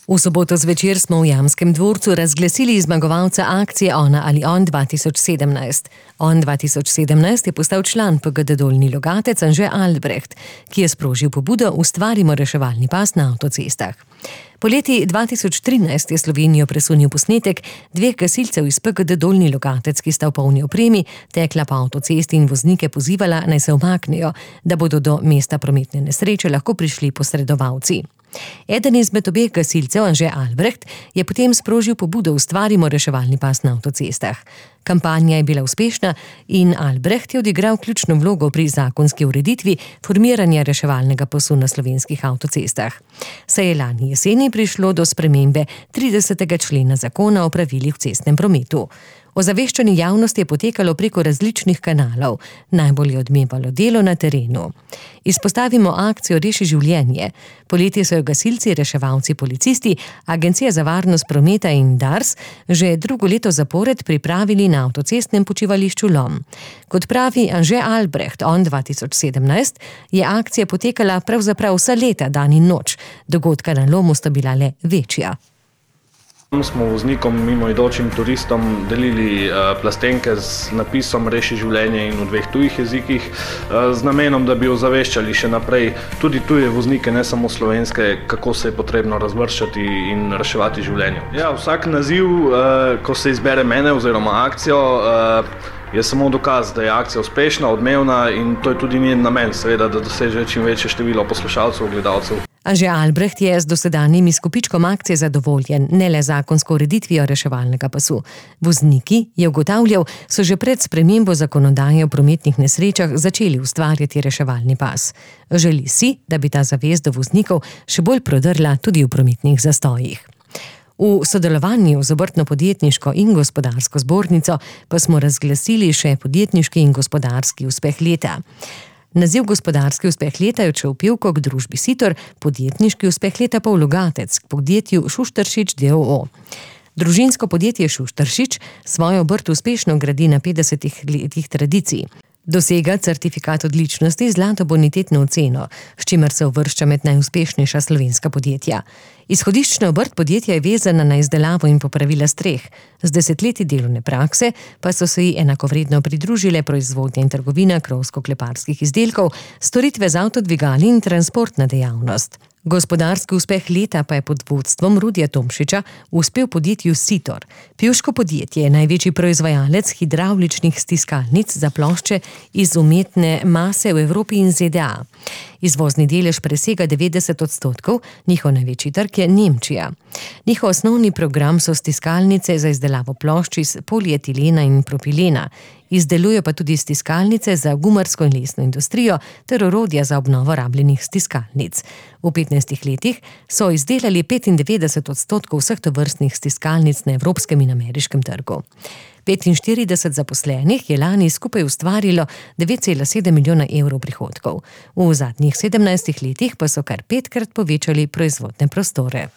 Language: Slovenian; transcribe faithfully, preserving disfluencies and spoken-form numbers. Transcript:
V soboto zvečer smo v Jamskem dvorcu razglasili zmagovalca akcije Ona ali on dva tisoč sedemnajst. On dva tisoč sedemnajst je postal član P G D Dolnji Logatec Anže Albrecht, ki je sprožil pobudo Ustvarimo reševalni pas na avtocestah. Poleti dva tisoč trinajst je Slovenijo presunil posnetek dveh gasilcev iz P G D Dolnji Logatec, ki sta v polni opremi tekla po avtocesti in voznike pozivala, naj se umaknejo, da bodo do mesta prometne nesreče lahko prišli posredovalci. Eden izmed obeh gasilcev, Anže Albrecht, je potem sprožil pobudo Ustvarimo reševalni pas na avtocestah. Kampanja je bila uspešna in Albrecht je odigral ključno vlogo pri zakonski ureditvi formiranja reševalnega pasu na slovenskih avtocestah. Saj je lani jeseni prišlo do spremembe tridesetega člena zakona o pravilih v cestnem prometu. Ozaveščanje javnosti je potekalo preko različnih kanalov, najbolj je odmevalo delo na terenu. Izpostavimo akcijo Reši življenje. Poleti so jo gasilci, reševalci, policisti, Agencija za varnost prometa in Dars že drugo leto zapored pripravili na avtocestnem počivališču Lom. Kot pravi Anže Albrecht, on dva tisoč sedemnajst, je akcija potekala pravzaprav vsa leta, dan in noč. Dogodka na Lomu sta bila le večja. Smo voznikom, mimoidočim turistom delili uh, plastenke z napisom Reši življenje in v dveh tujih jezikih, uh, z namenom, da bi ozaveščali še naprej tudi tuje voznike, ne samo slovenske, kako se je potrebno razvrščati in reševati življenje. Ja, vsak naziv, uh, ko se izbere mene oziroma akcijo, uh, je samo dokaz, da je akcija uspešna, odmevna in to je tudi njen namen, seveda, da doseže čim večje število poslušalcev, gledalcev. Anže Albrecht je z dosedanjim izkupičkom akcije zadovoljen, ne le zakonsko ureditvijo reševalnega pasu. Vozniki, je ugotavljal, so že pred spremembo zakonodaje o prometnih nesrečah začeli ustvarjati reševalni pas. Želi si, da bi ta zavest do voznikov še bolj prodrla tudi v prometnih zastojih. V sodelovanju z Obrtno-podjetniško in gospodarsko zbornico pa smo razglasili še podjetniški in gospodarski uspeh leta. Naziv gospodarski uspeh leta je odšel Pivko k družbi Sitor, podjetniški uspeh leta pa v Logatec k podjetju Šuštaršič d. o. o. Družinsko podjetje Šuštaršič svojo obrt uspešno gradi na petdesetih letih tradicij. Dosega certifikat odličnosti zlato bonitetno oceno, s čimer se uvršča med najuspešnejša slovenska podjetja. Izhodiščna obrt podjetja je vezana na izdelavo in popravila streh. Z desetletji delovne prakse pa so se ji enakovredno pridružile proizvodnja in trgovina krovsko-kleparskih izdelkov, storitve z avtodvigali in transportna dejavnost. Gospodarski uspeh leta pa je pod vodstvom Rudija Tomšiča uspel podjetju Sitor. Pivško podjetje je največji proizvajalec hidravličnih stiskalnic za plošče iz umetne mase v Evropi in Z D A. Izvozni delež presega devetdeset odstotkov, njihov največji trg je Nemčija. Njihov osnovni program so stiskalnice za izdelavo plošč iz polietilena in propilena. Izdelujejo pa tudi stiskalnice za gumarsko in lesno industrijo ter orodja za obnovo rabljenih stiskalnic. V petnajstih letih so izdelali petindevetdeset odstotkov vseh tovrstnih stiskalnic na evropskem in ameriškem trgu. petinštirideset zaposlenih je lani skupaj ustvarilo devet cela sedem milijona evrov prihodkov. V zadnjih sedemnajstih letih pa so kar petkrat povečali proizvodne prostore.